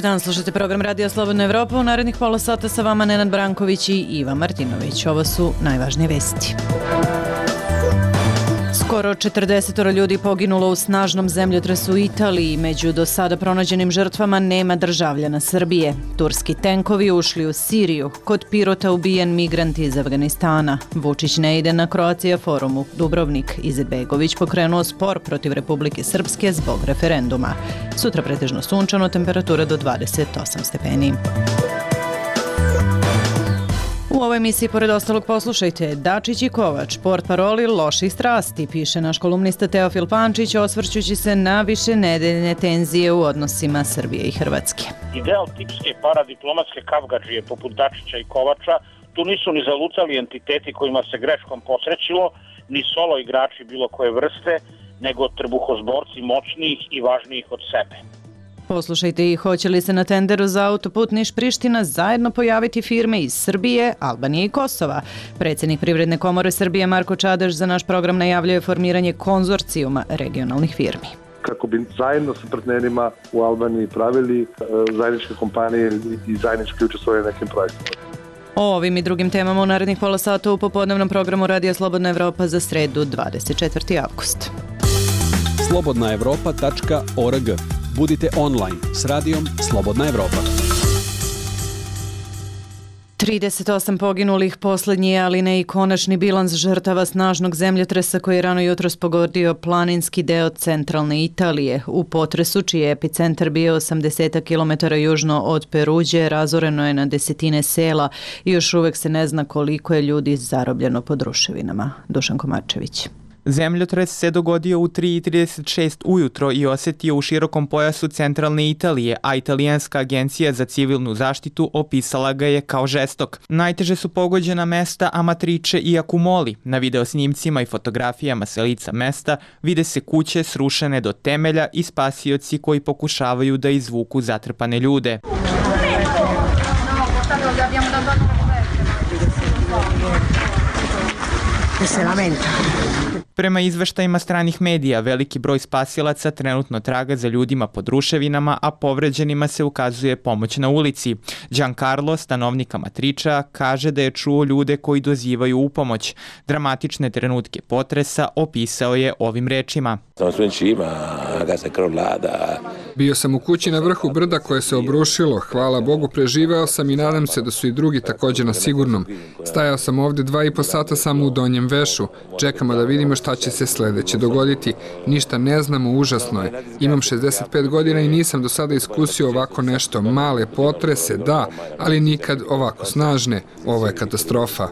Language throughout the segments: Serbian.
dan, slušate program Radija Slobodna Evropa. U narednih pola sata sa vama Nenad Branković i Iva Martinović. Ovo su najvažnije vesti. Skoro 40 ljudi poginulo u snažnom zemljotresu u Italiji. Među do sada pronađenim žrtvama nema državljana Srbije. Turski tenkovi ušli u Siriju. Kod Pirota ubijen migrant iz Afganistana. Vučić ne ide na Croatia forumu. Dubrovnik. Izetbegović pokrenuo spor protiv Republike Srpske zbog referenduma. Sutra pretežno sunčano, temperatura do 28 stepeni. U ovoj emisiji, pored ostalog, poslušajte Dačić i Kovač, portparoli loših strasti, piše naš kolumnista Teofil Pančić, osvrćući se na višenedeljne tenzije u odnosima Srbije i Hrvatske. Ideal tipske paradiplomatske kavgadžije poput Dačića i Kovača tu nisu ni zalucali entiteti kojima se greškom posrećilo, ni solo igrači bilo koje vrste, nego trbuhozborci moćnijih i važnijih od sebe. Poslušajte i hoće li se na tenderu za autoput Niš-Priština zajedno pojaviti firme iz Srbije, Albanije i Kosova. Predsjednik Privredne komore Srbije Marko Čadež za naš program najavljuje formiranje konzorcijuma regionalnih firmi. Kako bi zajedno sa partnerima u Albaniji pravili zajedničke kompanije i zajednički učestvovali na nekim projektima. O ovim i drugim temama u narednih pola sata u popodnevnom programu Radija Slobodna Evropa za sredu 24. avgust. slobodnaevropa.org. Budite online s radijom Slobodna Evropa. 38 poginulih, poslednji, ali ne i konačni bilans žrtava snažnog zemljotresa koji je rano jutros pogodio planinski deo centralne Italije. U potresu, čiji je epicentar bio 80 km južno od Peruđe, razoreno je na desetine sela i još uvek se ne zna koliko je ljudi zarobljeno pod ruševinama. Dušan Komarčević. Zemljotres se dogodio u 3:36 ujutro i osetio u širokom pojasu centralne Italije, a italijanska agencija za civilnu zaštitu opisala ga je kao žestok. Najteže su pogođena mesta Amatrice i Accumoli. Na videosnimcima i fotografijama sa lica mesta vide se kuće srušene do temelja i spasioci koji pokušavaju da izvuku zatrpane ljude. Prema izveštajima stranih medija, veliki broj spasilaca trenutno traga za ljudima pod ruševinama, a povređenima se ukazuje pomoć na ulici. Giancarlo, stanovnik Amatriča, kaže da je čuo ljude koji dozivaju u pomoć. Dramatične trenutke potresa opisao je ovim rečima. Bio sam u kući na vrhu brda koje se obrušilo. Hvala Bogu, preživeo sam i nadam se da su i drugi također na sigurnom. Stajao sam ovdje 2,5 sata samo u donjem vešu. Čekamo da vidimo šta će se sledeće dogoditi. Ništa ne znamo, užasno je. Imam 65 godina i nisam do sada iskusio ovako nešto. Male potrese, da, ali nikad ovako snažne. Ovo je katastrofa.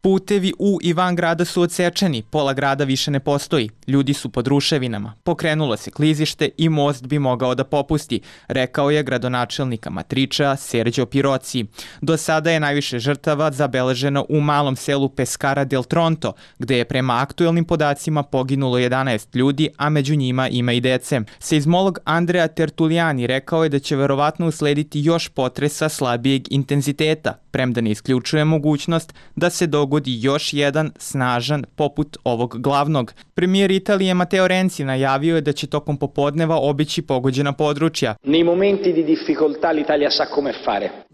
Putevi u i van grada su odsečeni, pola grada više ne postoji. Ljudi su pod ruševinama. Pokrenulo se klizište i most bi mogao da popusti, rekao je gradonačelnik Amatriča Sergio Pirozzi. Do sada je najviše žrtava zabeleženo u malom selu Pescara del Tronto, gde je prema aktuelnim podacima poginulo 11 ljudi, a među njima ima i dece. Seizmolog Andrea Tertuliani rekao je da će verovatno uslediti još potresa slabijeg intenziteta, premda ne isključuje mogućnost da se dogodi još jedan snažan poput ovog glavnog. Premijer Italije Matteo Renzi najavio je da će tokom popodneva obići pogođena područja.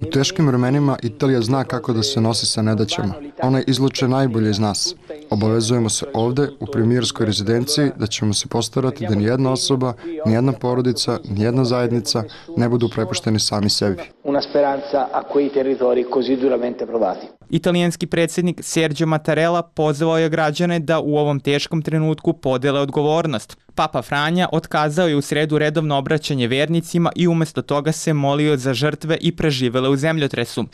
U teškim vremenima Italija zna kako da se nosi sa nedaćama. Ona izluče najbolje iz nas. Obavezujemo se ovde u premijerskoj rezidenciji da ćemo se postarati da nijedna osoba, nijedna porodica, nijedna zajednica ne budu prepušteni sami sebi. Italijanski predsjednik Sergio Mattarella pozvao je građane da u ovom teškom trenutku podele odgovornost. Papa Franja otkazao je u sredu redovno obraćanje vernicima i umjesto toga se molio za žrtve i preživele u zemljotresu.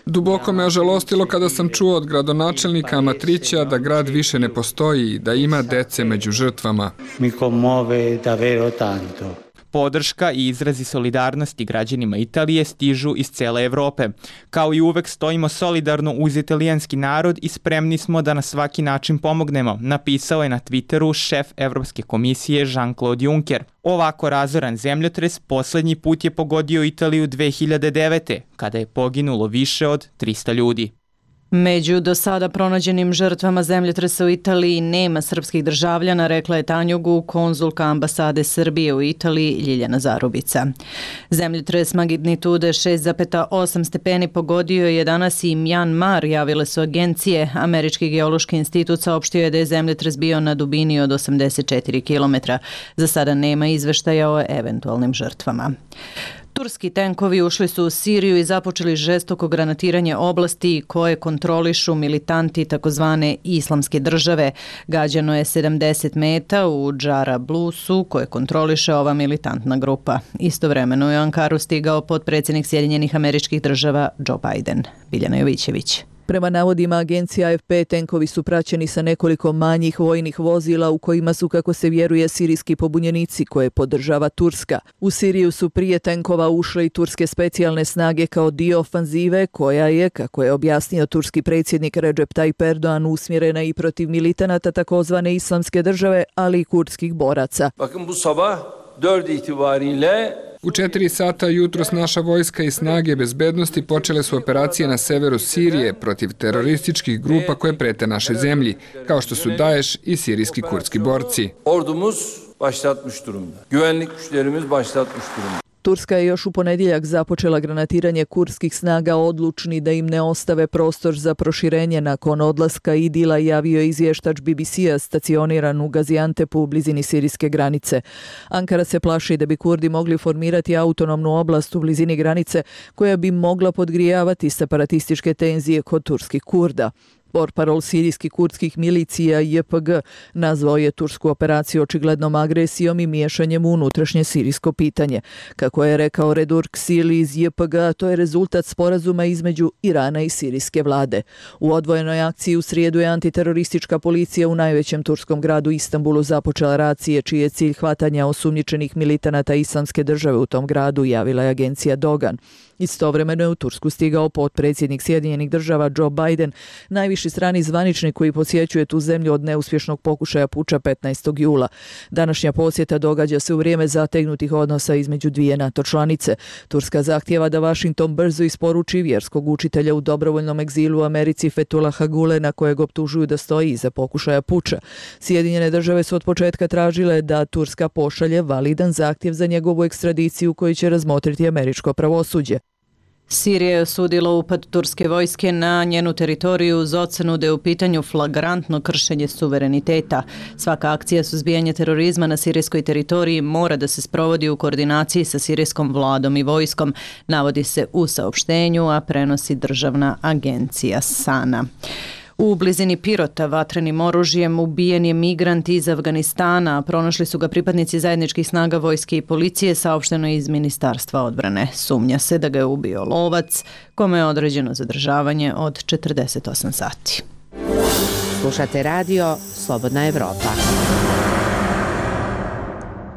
Duboko me ožalostilo kada sam čuo od gradonačelnika Amatrića da grad više ne postoji i da ima dece među žrtvama. Podrška i izrazi solidarnosti građanima Italije stižu iz cele Evrope. Kao i uvek stojimo solidarno uz italijanski narod i spremni smo da na svaki način pomognemo, napisao je na Twitteru šef Evropske komisije Jean-Claude Juncker. Ovako razoran zemljotres poslednji put je pogodio Italiju 2009. kada je poginulo više od 300 ljudi. Među do sada pronađenim žrtvama zemljotresa u Italiji nema srpskih državljana, rekla je Tanjugu, konzulka ambasade Srbije u Italiji Ljiljana Zarubica. Zemljotres magnitude 6,8 stepeni pogodio je danas i Mjanmar, javile su agencije. Američki geološki institut saopštio je da je zemljotres bio na dubini od 84 km. Za sada nema izveštaja o eventualnim žrtvama. Turski tenkovi ušli su u Siriju i započeli žestoko granatiranje oblasti koje kontrolišu militanti takozvane islamske države. Gađano je 70 meta u Džarablusu koje kontroliše ova militantna grupa. Istovremeno je u Ankaru stigao potpredsjednik Sjedinjenih Američkih Država Joe Biden. Biljana Jovićević. Prema navodima agencije AFP, tenkovi su praćeni sa nekoliko manjih vojnih vozila u kojima su, kako se vjeruje, sirijski pobunjenici koje podržava Turska. U Siriju su prije tenkova ušle i turske specijalne snage kao dio ofanzive koja je, kako je objasnio turski predsjednik Recep Tayyip Erdogan, usmjerena i protiv militanata takozvane islamske države, ali i kurdskih boraca. Bakın bu sabah 4 itibariyle U 4 sata jutros naša vojska i snage bezbednosti počele su operacije na severu Sirije protiv terorističkih grupa koje prete našoj zemlji, kao što su Daesh i sirijski kurdski borci. ordumuz başlatmış durumda. Güvenlik güçlerimiz başlatmış durumda. Turska je još u ponedjeljak započela granatiranje kurdskih snaga, odlučni da im ne ostave prostor za proširenje nakon odlaska Idila, javio je izvještač BBC-a stacioniran u Gaziantepu u blizini sirijske granice. Ankara se plaši da bi Kurdi mogli formirati autonomnu oblast u blizini granice koja bi mogla podgrijavati separatističke tenzije kod turskih Kurda. Portparol sirijskih kurdskih milicija JPG nazvao je tursku operaciju očiglednom agresijom i miješanjem u unutrašnje sirijsko pitanje. Kako je rekao Redur Ksili iz JPG, to je rezultat sporazuma između Irana i sirijske vlade. U odvojenoj akciji u srijedu je antiteroristička policija u najvećem turskom gradu Istanbulu započela racije čiji je cilj hvatanja osumnjičenih militanata islamske države u tom gradu, javila je agencija Dogan. Istovremeno je u Tursku stigao potpredsjednik Sjedinjenih Država Joe Biden, najviši strani zvaničnik koji posjećuje tu zemlju od neuspješnog pokušaja puča 15. jula. Današnja posjeta događa se u vrijeme zategnutih odnosa između dvije NATO članice. Turska zahtijeva da Washington brzo isporuči vjerskog učitelja u dobrovoljnom egzilu u Americi Fethullaha Gulena, kojeg optužuju da stoji iza pokušaja puča. Sjedinjene Države su od početka tražile da Turska pošalje validan zahtjev za njegovu ekstradiciju koji će razmotriti američko pravosuđe. Sirija je osudila upad turske vojske na njenu teritoriju uz ocenu da je u pitanju flagrantno kršenje suvereniteta. Svaka akcija suzbijanja terorizma na sirijskoj teritoriji mora da se sprovodi u koordinaciji sa sirijskom vladom i vojskom, navodi se u saopštenju, a prenosi državna agencija SANA. U blizini Pirota vatrenim oružjem ubijen je migrant iz Afganistana, a pronašli su ga pripadnici zajedničkih snaga vojske i policije, saopšteno iz Ministarstva odbrane. Sumnja se da ga je ubio lovac, kome je određeno zadržavanje od 48 sati. Slušate radio Slobodna Evropa.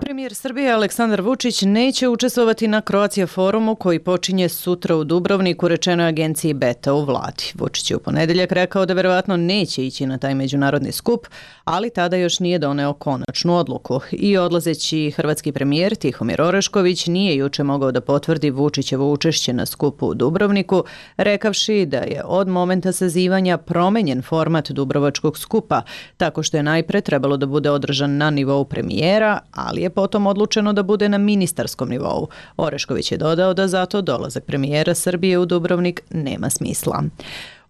Premijer Srbije Aleksandar Vučić neće učestvovati na Croatia forumu koji počinje sutra u Dubrovniku, rečeno je agenciji Beta u vladi. Vučić je u ponedjeljak rekao da verovatno neće ići na taj međunarodni skup, ali tada još nije doneo konačnu odluku. I odlazeći hrvatski premijer Tihomir Orešković nije juče mogao da potvrdi Vučićevo učešće na skupu u Dubrovniku, rekavši da je od momenta sazivanja promenjen format Dubrovačkog skupa, tako što je najpre trebalo da bude održan na nivou premijera, ali je potom odlučeno da bude na ministarskom nivou. Orešković je dodao da zato dolazak premijera Srbije u Dubrovnik nema smisla.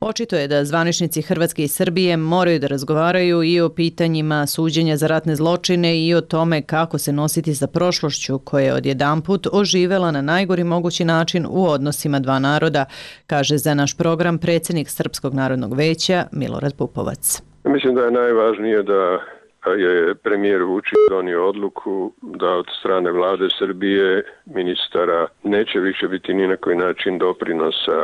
Očito je da zvaničnici Hrvatske i Srbije moraju da razgovaraju i o pitanjima suđenja za ratne zločine i o tome kako se nositi sa prošlošću koja je odjedanput oživela na najgori mogući način u odnosima dva naroda, kaže za naš program predsjednik Srpskog narodnog veća Milorad Pupovac. Mislim da je najvažnije da je premijer Vučić donio odluku da od strane vlade Srbije, ministara, neće više biti ni na koji način doprinosa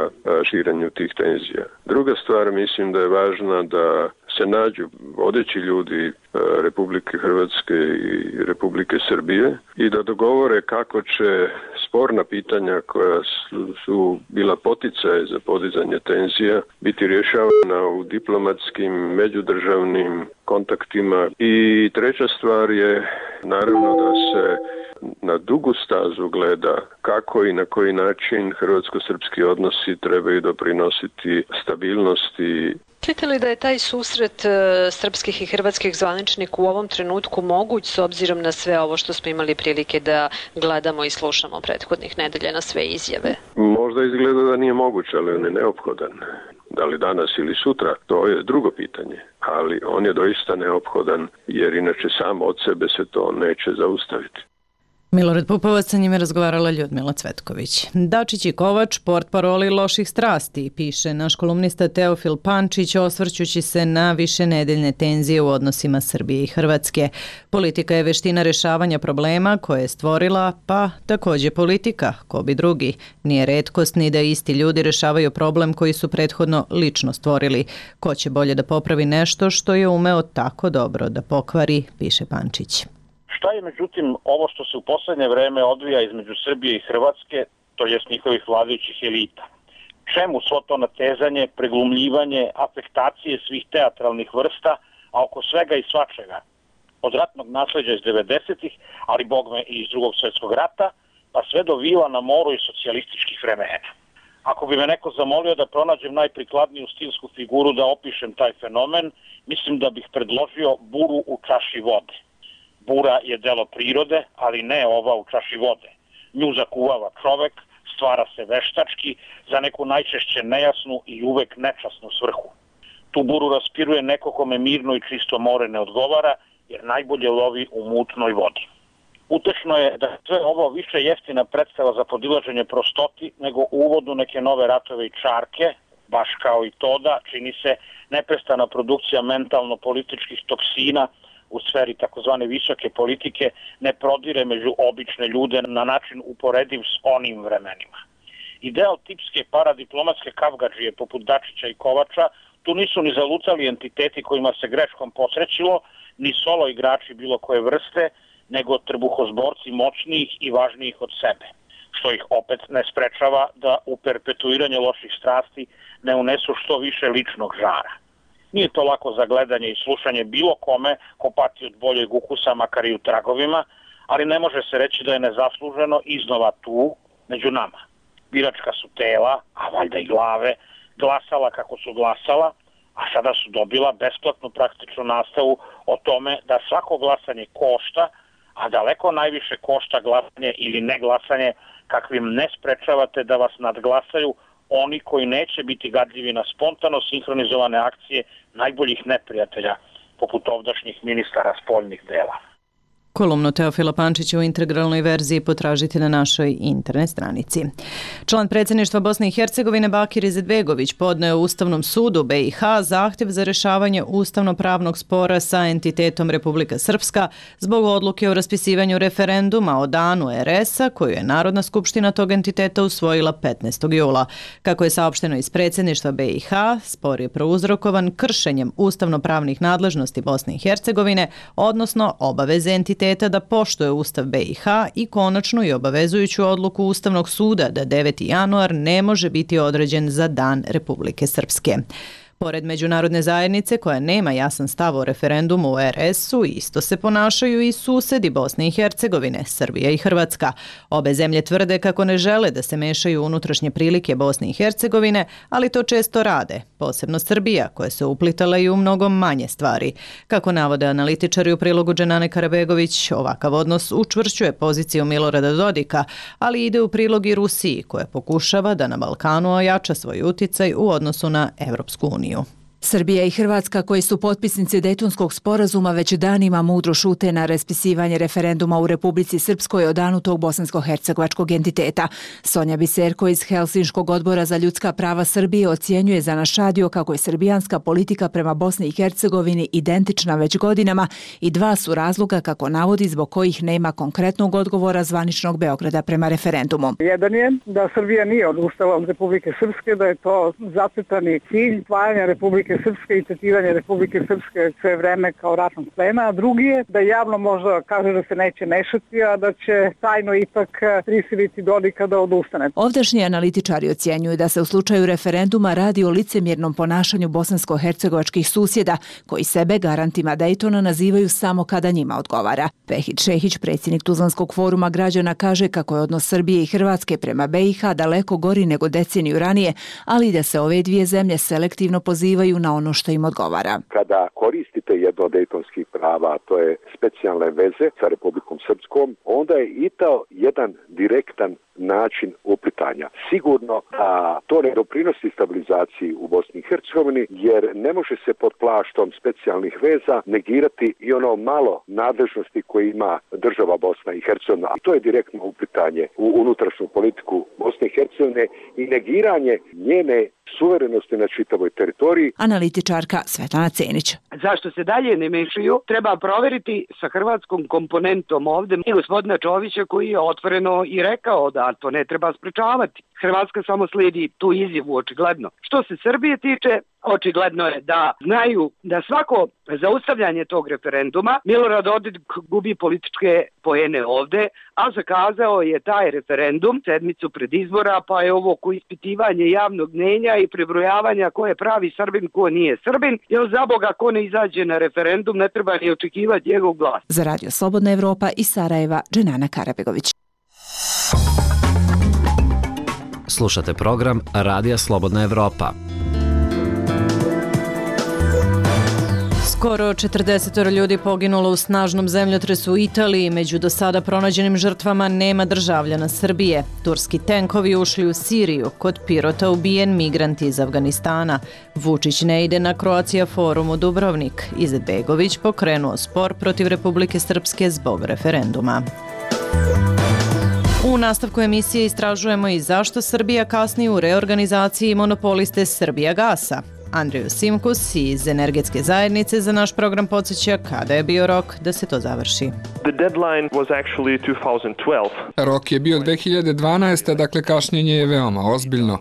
širenju tih tenzija. Druga stvar, mislim da je važna da se nađu vodeći ljudi Republike Hrvatske i Republike Srbije i da dogovore kako će sporna pitanja koja su bila poticaj za podizanje tenzija biti rješavana u diplomatskim, međudržavnim kontaktima. I treća stvar je naravno da se na dugu tu stazu gleda kako i na koji način hrvatsko-srpski odnosi trebaju doprinositi stabilnosti. Mislite li da je taj susret srpskih i hrvatskih zvaničnika u ovom trenutku moguć s obzirom na sve ovo što smo imali prilike da gledamo i slušamo prethodnih nedelja na sve izjave? Možda izgleda da nije moguć, ali on je neophodan. Da li danas ili sutra, to je drugo pitanje. Ali on je doista neophodan jer inače sam od sebe se to neće zaustaviti. Milorad Pupovac, sa njime razgovarala Ljudmila Cvetković. Dačić i Kovač, portparoli loših strasti, piše naš kolumnista Teofil Pančić, osvrćući se na višenedeljne tenzije u odnosima Srbije i Hrvatske. Politika je veština rešavanja problema koje je stvorila, pa takođe politika, ko bi drugi. Nije retkost ni da isti ljudi rešavaju problem koji su prethodno lično stvorili. Ko će bolje da popravi nešto što je umeo tako dobro da pokvari, piše Pančić. Šta je međutim ovo što se u poslednje vreme odvija između Srbije i Hrvatske, to jest njihovih vladajućih elita? Čemu svo to natezanje, preglumljivanje, afektacije svih teatralnih vrsta, a oko svega i svačega? Od ratnog nasleđa iz 90-ih, ali bogme i iz Drugog svjetskog rata, pa sve do vila na moru i socijalističkih vremena. Ako bi me neko zamolio da pronađem najprikladniju stilsku figuru da opišem taj fenomen, mislim da bih predložio buru u čaši vode. Bura je delo prirode, ali ne ova u čaši vode. Nju zakuvava čovek, stvara se veštački za neku najčešće nejasnu i uvek nečasnu svrhu. Tu buru raspiruje neko kome mirno i čisto more ne odgovara, jer najbolje lovi u mutnoj vodi. Utešno je da sve ovo više jeftina predstava za podilaženje prostoti nego u uvodu neke nove ratove i čarke, baš kao i to da čini se neprestana produkcija mentalno-političkih toksina u sferi takozvane visoke politike ne prodire među obične ljude na način uporediv s onim vremenima. Ideal tipske paradiplomatske kavgadžije poput Dačića i Kovača tu nisu ni zalucali entiteti kojima se greškom posrećilo, ni solo igrači bilo koje vrste, nego trbuhozborci moćnijih i važnijih od sebe, što ih opet ne sprečava da u perpetuiranje loših strasti ne unesu što više ličnog žara. Nije to lako za gledanje i slušanje bilo kome ko pati od boljeg ukusa, makar i u tragovima, ali ne može se reći da je nezasluženo iznova tu, među nama. Biračka su tela, a valjda i glave, glasala kako su glasala, a sada su dobila besplatnu praktičnu nastavu o tome da svako glasanje košta, a daleko najviše košta glasanje ili ne glasanje kakvim ne sprečavate da vas nadglasaju oni koji neće biti gadljivi na spontano sinhronizovane akcije najboljih neprijatelja, poput ovdašnjih ministara spoljnih dela. Kolumnu Teofila Pančića u integralnoj verziji potražite na našoj internet stranici. Član predsjedništva Bosne i Hercegovine Bakir Izetbegović podneo Ustavnom sudu BiH zahtjev za rešavanje ustavno-pravnog spora sa entitetom Republika Srpska zbog odluke o raspisivanju referenduma o danu RS-a koju je Narodna skupština tog entiteta usvojila 15. jula. Kako je saopšteno iz predsjedništva BiH, spor je prouzrokovan kršenjem ustavno-pravnih nadležnosti Bosne i Hercegovine, odnosno obaveze entiteta da poštuje Ustav BiH i konačnu i obavezujuću odluku Ustavnog suda da 9. januar ne može biti određen za Dan Republike Srpske. Pored međunarodne zajednice koja nema jasan stav o referendumu u RS-u, isto se ponašaju i susedi Bosne i Hercegovine, Srbija i Hrvatska. Obe zemlje tvrde kako ne žele da se mešaju unutrašnje prilike Bosne i Hercegovine, ali to često rade, posebno Srbija koja se uplitala i u mnogo manje stvari. Kako navode analitičari u prilogu Dženane Karabegović, ovakav odnos učvršćuje poziciju Milorada Dodika, ali ide u prilog i Rusiji koja pokušava da na Balkanu ojača svoj uticaj u odnosu na Evropsku uniju. Srbija i Hrvatska, koji su potpisnici Dejtonskog sporazuma, već danima mudro šute na raspisivanje referenduma u Republici Srpskoj o danu tog bosansko-hercegovačkog entiteta. Sonja Biserko iz Helsinškog odbora za ljudska prava Srbije ocjenjuje za naš radio kako je srbijanska politika prema Bosni i Hercegovini identična već godinama i dva su razloga, kako navodi, zbog kojih nema konkretnog odgovora zvaničnog Beograda prema referendumu. Jedan je da Srbija nije odustala od Republike Srpske, da je to zacrtani cilj spajanja Republike Republike Srpske i tretiranje Republike Srpske sve vreme kao ratnog plena, a drugi je da javno možda kaže da se neće mešati, a da će tajno ipak prisiliti Dodika da odustane. Ovdašnji analitičari ocjenjuju da se u slučaju referenduma radi o licemjernom ponašanju bosansko-hercegovačkih susjeda, koji sebe garantima Dejtona nazivaju samo kada njima odgovara. Vehid Šehić, predsjednik Tuzlanskog foruma građana, kaže kako je odnos Srbije i Hrvatske prema BiH daleko gori nego deceniju ranije, ali i da se ove dvije zemlje selektivno pozivaju na ono što im odgovara. Kada koristite jedno od dejtonskih prava, to je specijalne veze sa Republikom Srpskom, onda je i to jedan direktan način uplitanja. Sigurno da to ne doprinosi stabilizaciji u Bosni i Hercegovini, jer ne može se pod plaštom specijalnih veza negirati i ono malo nadležnosti koje ima država Bosna i Hercegovina. I to je direktno uplitanje u unutrašnju politiku Bosne i Hercegovine i negiranje njene suverenosti na čitavoj teritoriji. Analitičarka Svetlana Cenić. Zašto se dalje ne mešaju, treba proveriti sa hrvatskom komponentom ovde i gospodina Čovića, koji je otvoreno i rekao da to ne treba sprečavati. Hrvatska samo slijedi tu izjavu, očigledno. Što se Srbije tiče, očigledno je da znaju da svako zaustavljanje tog referenduma Milorad Dodik gubi političke poene ovde, a zakazao je taj referendum sedmicu pred izbora, pa je ovo ko ispitivanje javnog mnjenja i prebrojavanja ko je pravi Srbin, ko nije Srbin, jer za Boga ko ne izađe na referendum ne treba ni očekivati njegov glas. Za Radio Slobodna Evropa iz Sarajeva, Dženana Karabegović. Slušate program Radija Slobodna Evropa. Skoro 40 ljudi poginulo u snažnom zemljotresu u Italiji. Među do sada pronađenim žrtvama nema državljana Srbije. Turski tenkovi ušli u Siriju. Kod Pirota ubijen migrant iz Afganistana. Vučić ne ide na Croatia Forum u Dubrovnik. Izetbegović pokrenuo spor protiv Republike Srpske zbog referenduma. U nastavku emisije istražujemo i zašto Srbija kasni u reorganizaciji monopoliste Srbijagasa. Andriju Simkus iz Energetske zajednice za naš program podsjeća kada je bio rok da se to završi. The deadline was actually 2012. Rok je bio 2012, dakle kašnjenje je veoma ozbiljno.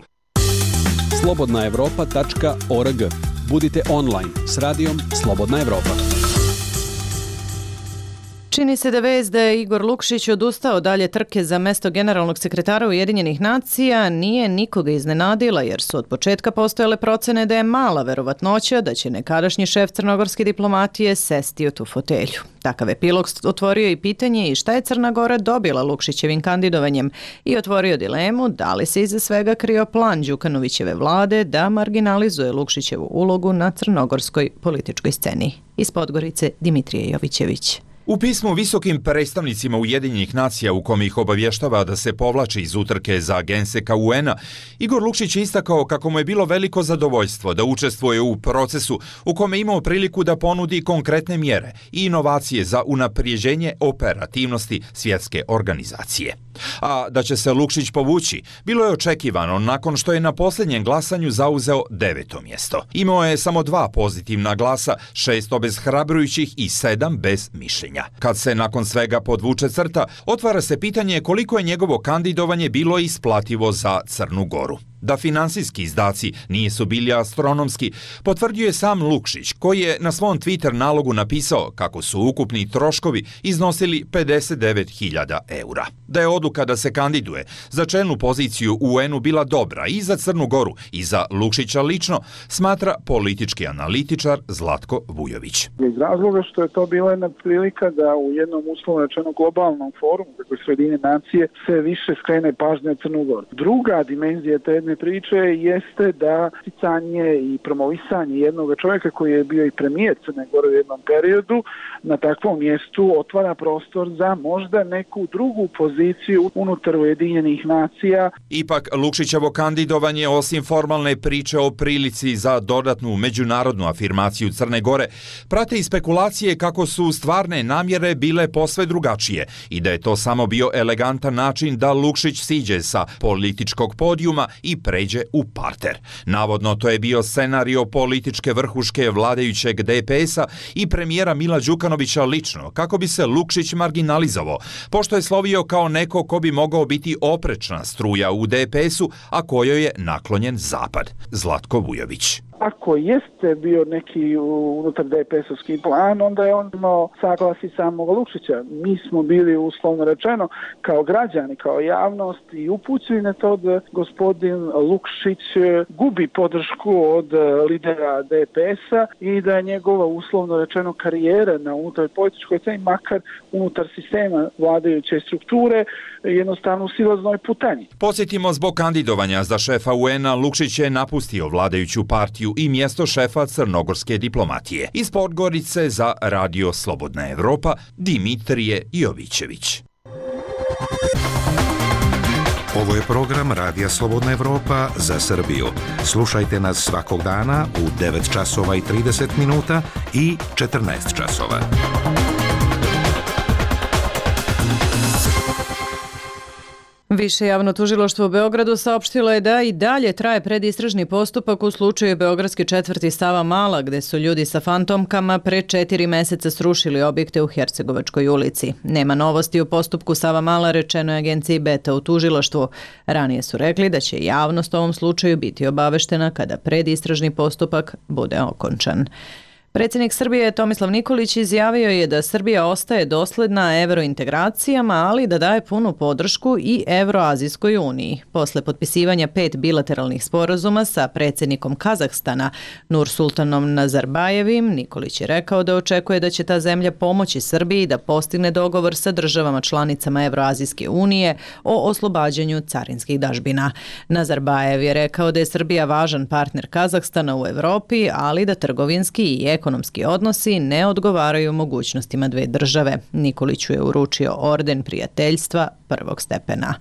slobodnaevropa.org. Budite online s radijom Slobodna Evropa. Čini se da vest da je Igor Lukšić odustao dalje trke za mesto generalnog sekretara Ujedinjenih nacija nije nikoga iznenadila, jer su od početka postojale procene da je mala verovatnoća da će nekadašnji šef crnogorske diplomatije sesti u tu fotelju. Takav epilog otvorio i pitanje i šta je Crna Gora dobila Lukšićevim kandidovanjem i otvorio dilemu da li se iza svega krio plan Đukanovićeve vlade da marginalizuje Lukšićevu ulogu na crnogorskoj političkoj sceni. Iz Podgorice Dimitrije Jovićević. U pismu visokim predstavnicima Ujedinjenih nacija u kome ih obavještava da se povlači iz utrke za genseka UN-a, Igor Lukšić je istakao kako mu je bilo veliko zadovoljstvo da učestvuje u procesu u kome je imao priliku da ponudi konkretne mjere i inovacije za unaprijeđenje operativnosti svjetske organizacije. A da će se Lukšić povući, bilo je očekivano nakon što je na posljednjem glasanju zauzeo 9. mjesto. Imao je samo 2 pozitivna glasa, 6 obeshrabrujućih i 7 bez mišljenja. Kad se nakon svega podvuče crta, otvara se pitanje koliko je njegovo kandidovanje bilo isplativo za Crnu Goru. Da finansijski izdaci nisu bili astronomski, potvrdio je sam Lukšić, koji je na svom Twitter nalogu napisao kako su ukupni troškovi iznosili 59.000 eura. Da je odluka da se kandiduje za čelnu poziciju u UN-u bila dobra i za Crnu Goru i za Lukšića lično, smatra politički analitičar Zlatko Vujović. Iz razloga što je to bila jedna prilika da u jednom uslovno rečeno globalnom forumu, kako su Ujedinjene nacije, se više skrene pažnja na Crnu Goru. Druga dimenzija te jedne priče jeste da sticanje i promovisanje jednog čovjeka koji je bio i premijer Crne Gore u jednom periodu na takvom mjestu otvara prostor za možda neku drugu poziciju unutar Ujedinjenih nacija. Ipak Lukšićevo kandidovanje, osim formalne priče o prilici za dodatnu međunarodnu afirmaciju Crne Gore, prate i spekulacije kako su stvarne namjere bile posve drugačije i da je to samo bio elegantan način da Lukšić siđe sa političkog podijuma i pređe u parter. Navodno to je bio scenario političke vrhuške vladajućeg DPS-a i premijera Mila Đukanovića lično, kako bi se Lukšić marginalizovao, pošto je slovio kao neko ko bi mogao biti oprečna struja u DPS-u, a kojoj je naklonjen Zapad. Zlatko Vujović. Ako jeste bio neki unutar DPS-ovski plan, onda je on imao saglasi samog Lukšića. Mi smo bili, uslovno rečeno, kao građani, kao javnost i upućeni na to da gospodin Lukšić gubi podršku od lidera DPS-a i da je njegova, uslovno rečeno, karijera na unutar političkoj sceni, makar unutar sistema vladajuće strukture, jednostavno u silaznoj putanji. Posjetimo, zbog kandidovanja za šefa UN-a, Lukšić je napustio vladajuću partiju i mjesto šefa crnogorske diplomatije. Iz Podgorice za Radio Slobodna Evropa, Dimitrije Jovićević. Ovo je program Radija Slobodna Evropa za Srbiju. Slušajte nas svakog dana u 9 časova i 30 minuta i 14 časova. Više javno tužilaštvo u Beogradu saopštilo je da i dalje traje predistražni postupak u slučaju Beogradske četvrti Savamala, gde su ljudi sa fantomkama pre 4 meseca srušili objekte u Hercegovačkoj ulici. Nema novosti u postupku Savamala, rečeno je agenciji Beta u tužilaštvu. Ranije su rekli da će javnost u ovom slučaju biti obaveštena kada predistražni postupak bude okončan. Predsjednik Srbije Tomislav Nikolić izjavio je da Srbija ostaje dosledna evrointegracijama, ali da daje punu podršku i Evroazijskoj uniji. Posle potpisivanja 5 bilateralnih sporazuma sa predsjednikom Kazahstana Nursultanom Nazarbajevim, Nikolić je rekao da očekuje da će ta zemlja pomoći Srbiji da postigne dogovor sa državama članicama Evroazijske unije o oslobađanju carinskih dažbina. Nazarbajev je rekao da je Srbija važan partner Kazahstana u Evropi, ali da trgovinski i ekonomski odnosi ne odgovaraju mogućnostima dve države. Nikoliću je uručio orden prijateljstva prvog stepena.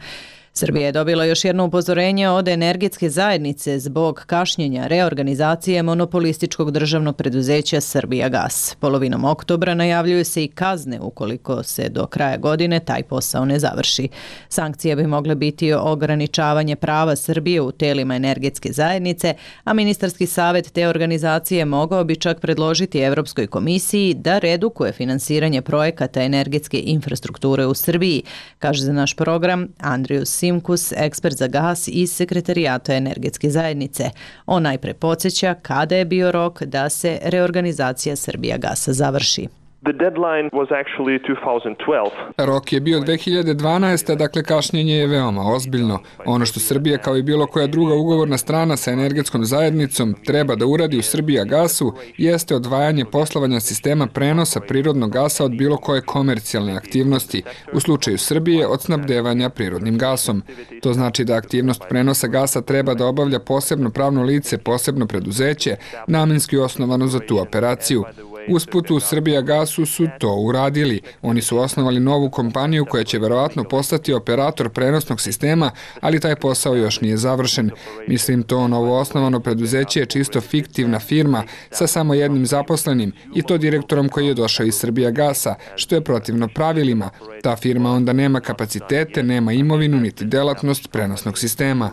Srbija je dobila još jedno upozorenje od energetske zajednice zbog kašnjenja reorganizacije monopolističkog državnog preduzeća Srbijagas. Polovinom oktobra najavljuju se i kazne ukoliko se do kraja godine taj posao ne završi. Sankcije bi mogle biti ograničavanje prava Srbije u telima energetske zajednice, a ministarski savjet te organizacije mogao bi čak predložiti Evropskoj komisiji da redukuje finansiranje projekata energetske infrastrukture u Srbiji, kaže za naš program Andrijus Simkus, ekspert za gas iz Sekretarijata energetske zajednice. On najpre podsjeća kada je bio rok da se reorganizacija Srbijagasa završi. The deadline was actually 2012. Rok je bio 2012. Dakle kašnjenje je veoma ozbiljno. Ono što Srbija kao i bilo koja druga ugovorna strana sa energetskom zajednicom treba da uradi u Srbijagasu jeste odvajanje poslovanja sistema prenosa prirodnog gasa od bilo koje komercijalne aktivnosti, u slučaju Srbije od snabdevanja prirodnim gasom. To znači da aktivnost prenosa gasa treba da obavlja posebno pravno lice, posebno preduzeće, namenski osnovano za tu operaciju. Usput u Srbijagasu su to uradili. Oni su osnovali novu kompaniju koja će verovatno postati operator prenosnog sistema, ali taj posao još nije završen. Mislim, to novo osnovano preduzeće je čisto fiktivna firma sa samo jednim zaposlenim i to direktorom koji je došao iz Srbijagasa, što je protivno pravilima. Ta firma onda nema kapacitete, nema imovinu niti delatnost prenosnog sistema.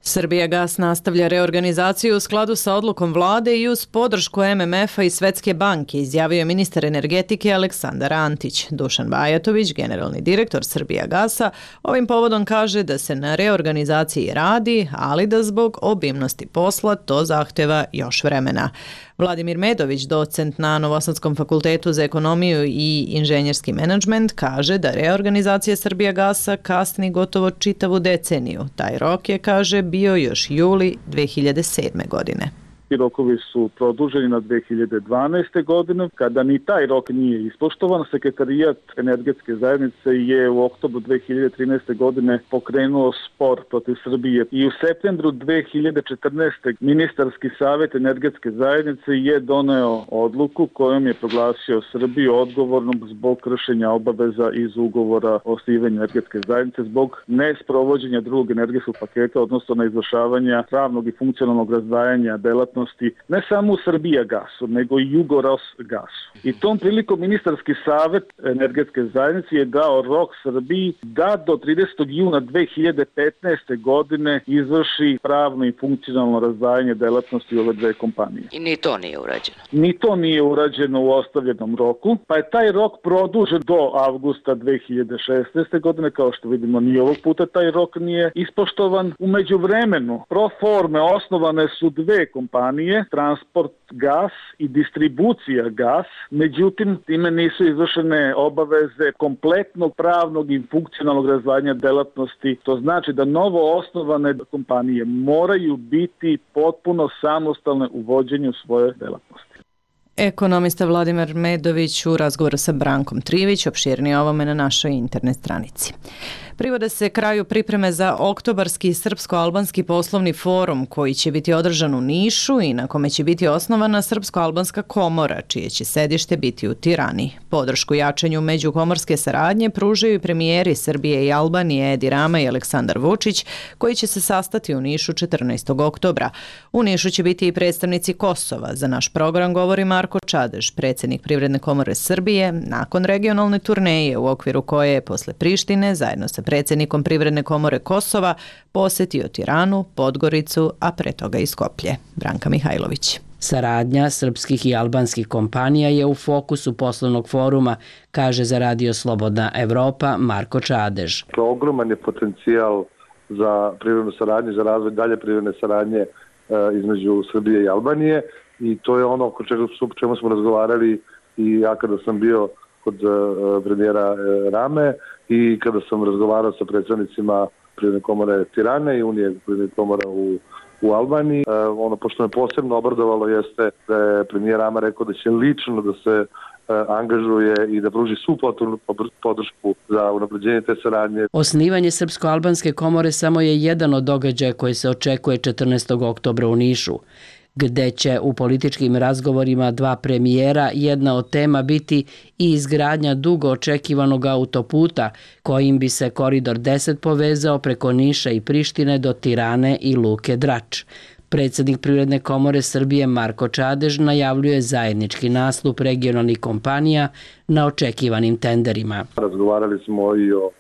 Srbijagas nastavlja reorganizaciju u skladu sa odlukom vlade i uz podršku MMF-a i Svetske banke, izjavio je ministar energetike Aleksandar Antić. Dušan Bajatović, generalni direktor Srbijagasa, ovim povodom kaže da se na reorganizaciji radi, ali da zbog obimnosti posla to zahteva još vremena. Vladimir Medović, docent na Novosadskom fakultetu za ekonomiju i inženjerski menadžment, kaže da reorganizacija Srbijagasa kasni gotovo čitavu deceniju. Taj rok je, kaže, bio još juli 2007. godine. Rokovi su produženi na 2012. godine. Kada ni taj rok nije ispoštovan, Sekretarijat energetske zajednice je u oktobru 2013. godine pokrenuo spor protiv Srbije i u septembru 2014. ministarski savjet energetske zajednice je doneo odluku kojom je proglasio Srbiju odgovornom zbog kršenja obaveza iz ugovora o osnivanju energetske zajednice zbog nesprovođenja drugog energetskog paketa, odnosno na izvršavanja pravnog i funkcionalnog razdvajanja delatnosti delatnosti ne samo u Srbijagasu, nego i Jugorosgasu. I tom prilikom ministarski savjet energetske zajednice je dao rok Srbiji da do 30. juna 2015. godine izvrši pravno i funkcionalno razdvajanje delatnosti ove dve kompanije. I ni to nije urađeno. Ni to nije urađeno u ostavljenom roku, pa je taj rok produžen do avgusta 2016. godine, kao što vidimo ni ovog puta taj rok nije ispoštovan. U međuvremenu pro forme osnovane su dve kompanije, Transport gas i Distribucija gas, međutim time nisu izvršene obaveze kompletnog pravnog i funkcionalnog razdvajanja delatnosti. To znači da novo osnovane kompanije moraju biti potpuno samostalne u vođenju svoje delatnosti. Ekonomista Vladimir Medović u razgovoru sa Brankom Trivić, opširnije ovome na našoj internet stranici. Privode se kraju pripreme za oktobarski srpsko-albanski poslovni forum koji će biti održan u Nišu i na kome će biti osnovana Srpsko-albanska komora, čije će sedište biti u Tirani. Podršku jačanju međukomorske saradnje pružaju i premijeri Srbije i Albanije Edi Rama i Aleksandar Vučić, koji će se sastati u Nišu 14. oktobra. U Nišu će biti i predstavnici Kosova. Za naš program govori Marko Čadež, predsjednik Privredne komore Srbije, nakon regionalne turneje u okviru koje je posle Prištine zajedno sa predsjednikom Privredne komore Kosova posjetio Tiranu, Podgoricu, a pre toga i Skoplje. Branka Mihajlović. Saradnja srpskih i albanskih kompanija je u fokusu poslovnog foruma, kaže za Radio Slobodna Evropa Marko Čadež. Ogroman je potencijal za privrednu saradnju, za razvoj dalje privredne saradnje između Srbije i Albanije i to je ono o čemu smo razgovarali i ja kada sam bio kod premijera Rame i kada sam razgovarao sa predstavnicima Privredne komore Tirane i Unije Privrednih komora u Albaniji. Ono pošto me posebno obradovalo jeste da je premijer Rama rekao da će lično da se angažuje i da pruži svu podršku za unapređenje te saradnje. Osnivanje Srpsko-albanske komore samo je jedan od događaja koji se očekuje 14. oktobra u Nišu, gde će u političkim razgovorima dva premijera jedna od tema biti i izgradnja dugo očekivanog autoputa kojim bi se koridor 10 povezao preko Niša i Prištine do Tirane i Luke Drač. Predsjednik Privredne komore Srbije Marko Čadež najavljuje zajednički nastup regionalnih kompanija na očekivanim tenderima. Razgovarali smo i o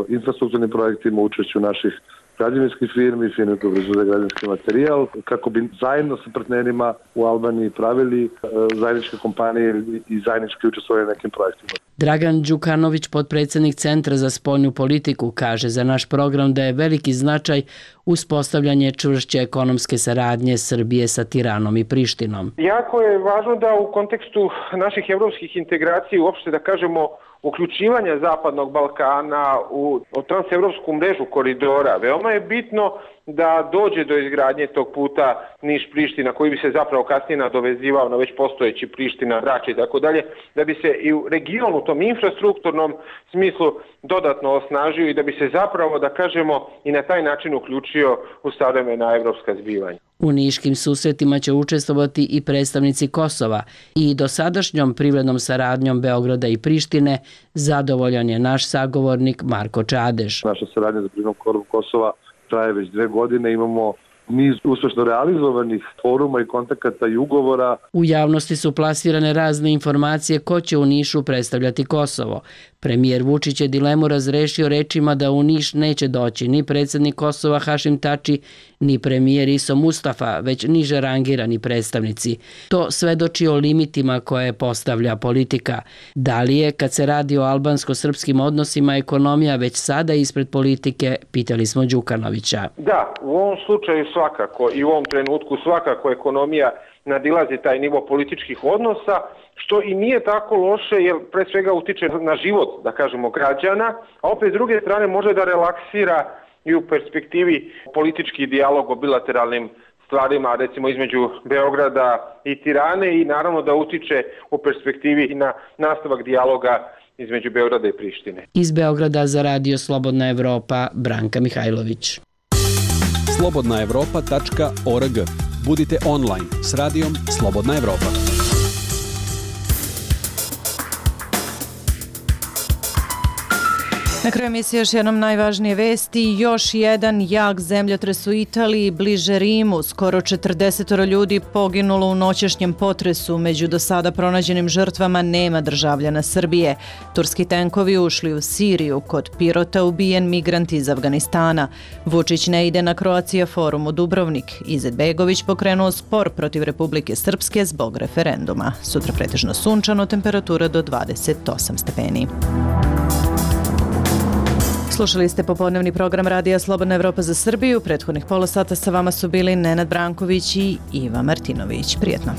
infrastrukturnim projektima, učešću naših građevinskih firmi, firme koje proizvode građevinski materijal, kako bi zajedno sa partnerima u Albaniji pravili zajedničke kompanije i zajednički učestvovali na nekim projektima. Dragan Đukanović, potpredsjednik Centra za spoljnu politiku, kaže za naš program da je veliki značaj uspostavljanje čvršće ekonomske saradnje Srbije sa Tiranom i Prištinom. Jako je važno da u kontekstu naših evropskih integracija, uopšte da kažemo uključivanja Zapadnog Balkana u transevropsku mrežu koridora, veoma je bitno da dođe do izgradnje tog puta Niš-Priština, koji bi se zapravo kasnije nadovezivao na već postojeći Priština, Drač i tako dalje, da bi se i u regionu, u tom infrastrukturnom smislu dodatno osnažio i da bi se zapravo, da kažemo, i na taj način uključio u savremena evropska zbivanja. U niškim susretima će učestvovati i predstavnici Kosova i dosadašnjom privrednom saradnjom Beograda i Prištine zadovoljan je naš sagovornik Marko Čadež. Naša saradnja za privrednom koru Kosova traje već 2 godine, imamo niz uspešno realizovanih foruma i kontakata i ugovora. U javnosti su plasirane razne informacije ko će u Nišu predstavljati Kosovo. Premijer Vučić je dilemu razrešio rečima da u Niš neće doći ni predsjednik Kosova Hašim Tači, ni premijer Iso Mustafa, već niže rangirani predstavnici. To svedoči o limitima koje postavlja politika. Da li je, kad se radi o albansko-srpskim odnosima, ekonomija već sada ispred politike, pitali smo Đukanovića. Da, u ovom slučaju svakako i u ovom trenutku svakako ekonomija nadilazi taj nivo političkih odnosa, što i nije tako loše jer pre svega utiče na život, da kažemo, građana, a opet s druge strane može da relaksira i u perspektivi politički dijalog o bilateralnim stvarima, recimo između Beograda i Tirane i naravno da utiče u perspektivi i na nastavak dijaloga između Beograda i Prištine. Iz Beograda za Radio Slobodna Evropa, Branka Mihajlović. slobodnaevropa.org. Budite online s radijom Slobodna Evropa. Na kraju emisije još jednom najvažnije vesti. Još jedan jak zemljotres u Italiji, bliže Rimu. Skoro 40 ljudi poginulo u noćašnjem potresu. Među do sada pronađenim žrtvama nema državljana Srbije. Turski tenkovi ušli u Siriju. Kod Pirota ubijen migrant iz Afganistana. Vučić ne ide na Croatia forum u Dubrovnik. Izetbegović pokrenuo spor protiv Republike Srpske zbog referenduma. Sutra pretežno sunčano, temperatura do 28 stepeni. Slušali ste popodnevni program Radija Slobodna Evropa za Srbiju. Prethodnih pola sata sa vama su bili Nenad Branković i Iva Martinović. Prijetno.